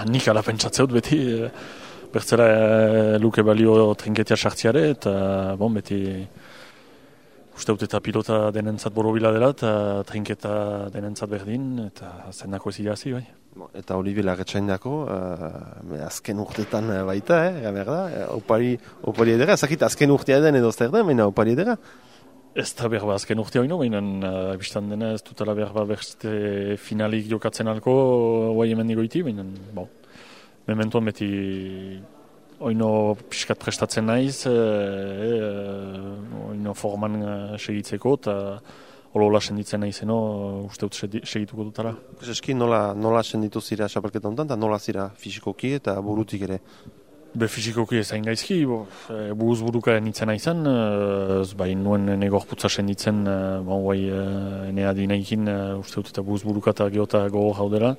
nik ala pentsatzeut beti, bertzela luke balio trinketia sartziare, eta beti uste dut eta pilota denentzat borobila dela, eta trinketa denentzat berdin, eta zendako ez irazi, bai. Eta hori belarretxain dako, azken urtetan baita, berda, opari edera, ezakit azken urtea den edo zer den, baina opari edera? Ez da behar azken urtea hori, baina biztan dena ez dutela behar beste finalik jokatzen alko, guai hemen nigoiti, baina, mementuan beti oino pixkat prestatzen naiz, oino forman segitzeko, eta holola senditzen naizeno, uste dut segituko dutara. Eski nola senditu zira xapelketa honetan, eta nola zira fisikoki eta burutik ere? Fisikoki ezain gaizki, buruz buruka nintzen naizan, bai nuen negorputza senditzen, enea dinaikin, uste dut eta buruz buruka eta geota gogo jaudela.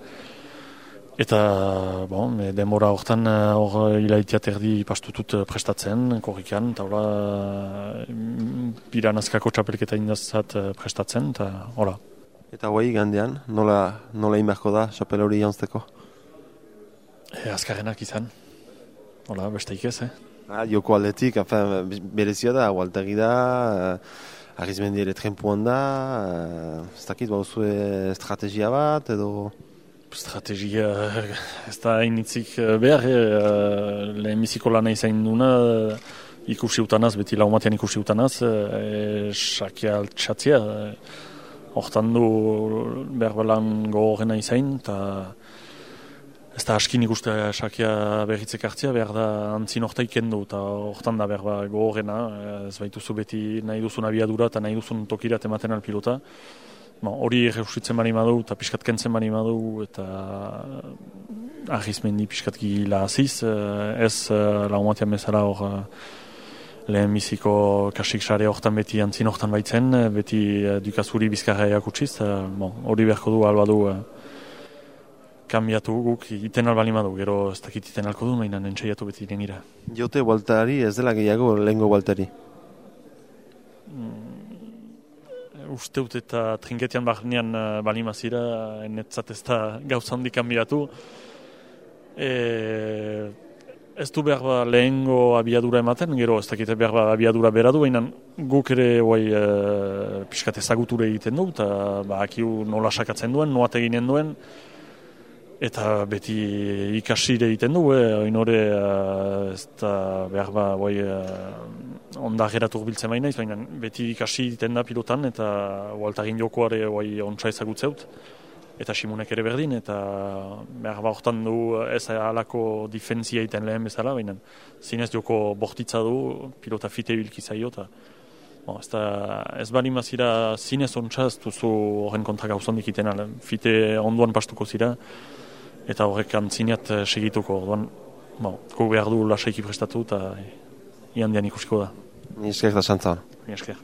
Eta, demora hortan hilaitiat erdi pastutut prestatzen, korrikan, eta piranazkako txapelketa indazat prestatzen, eta hola. Eta gandean, nola inberko da txapel hori jantzeko? Azkarrenak izan, hola, besteik ez, Joko aldetik, berezia da, Waltegi da, Arizmendi ere trenpuan da, ez dakit, estrategia bat, edo... Estrategia ez da hainitzik behar, lehenbiziko lana izain duna ikusi utanaz, beti laumatean ikusi utanaz, sakia altxatzia, hortan du behar balan gogorrena izain, eta ez da askin ikuste sakia berritzek hartzia, behar da antzin horta ikendu, eta hortan da behar gogorrena, ez baituzu beti nahi duzun abiadura eta nahi duzun tokirat ematen alpilota. Hori reusitzen bani madu eta piskat kentzen bani madu eta Arizmendi piskat gila aziz, ez laumatean bezala hor lehen biziko kasik sare hortan beti antzin hortan baitzen, beti dukazuri bizkarra eakutsiz, hori beharko du alba du kambiatu guk iten albali madu, gero ez dakit iten alko du, mainan entzaiatu beti dengira. Jote Waltari ez dela gehiago lehengo Waltari? Usteut eta trinketian barnean balimazira, netzat ez da gauza handik kanbiatu. Ez du behar lehengo abiadura ematen, gero ez dakite behar abiadura beradu, baina guk ere pixkat ezaguture egiten du, eta akiu nola sakatzen duen, noat eginen duen, eta beti ikasire egiten du, oinore ez da behar onda geratuk biltzen baina, baina beti ikasi egiten da pilotan, eta Waltarin jokoare ontsa ezagutzeut, eta Simonek ere berdin, eta behar hortan du ez alako difentzia egiten lehen bezala, baina zinez joko bortitza du, pilota fite bilki zaio, eta ez bali mazira zinez ontsa ez duzu horren kontra gauzondik iten, fite onduan pastuko zira, eta horrek antzineat segituko, orduan, behar du lasaiki prestatu, eta iandian ikusiko da. Ni esker da xantza. Ni esker.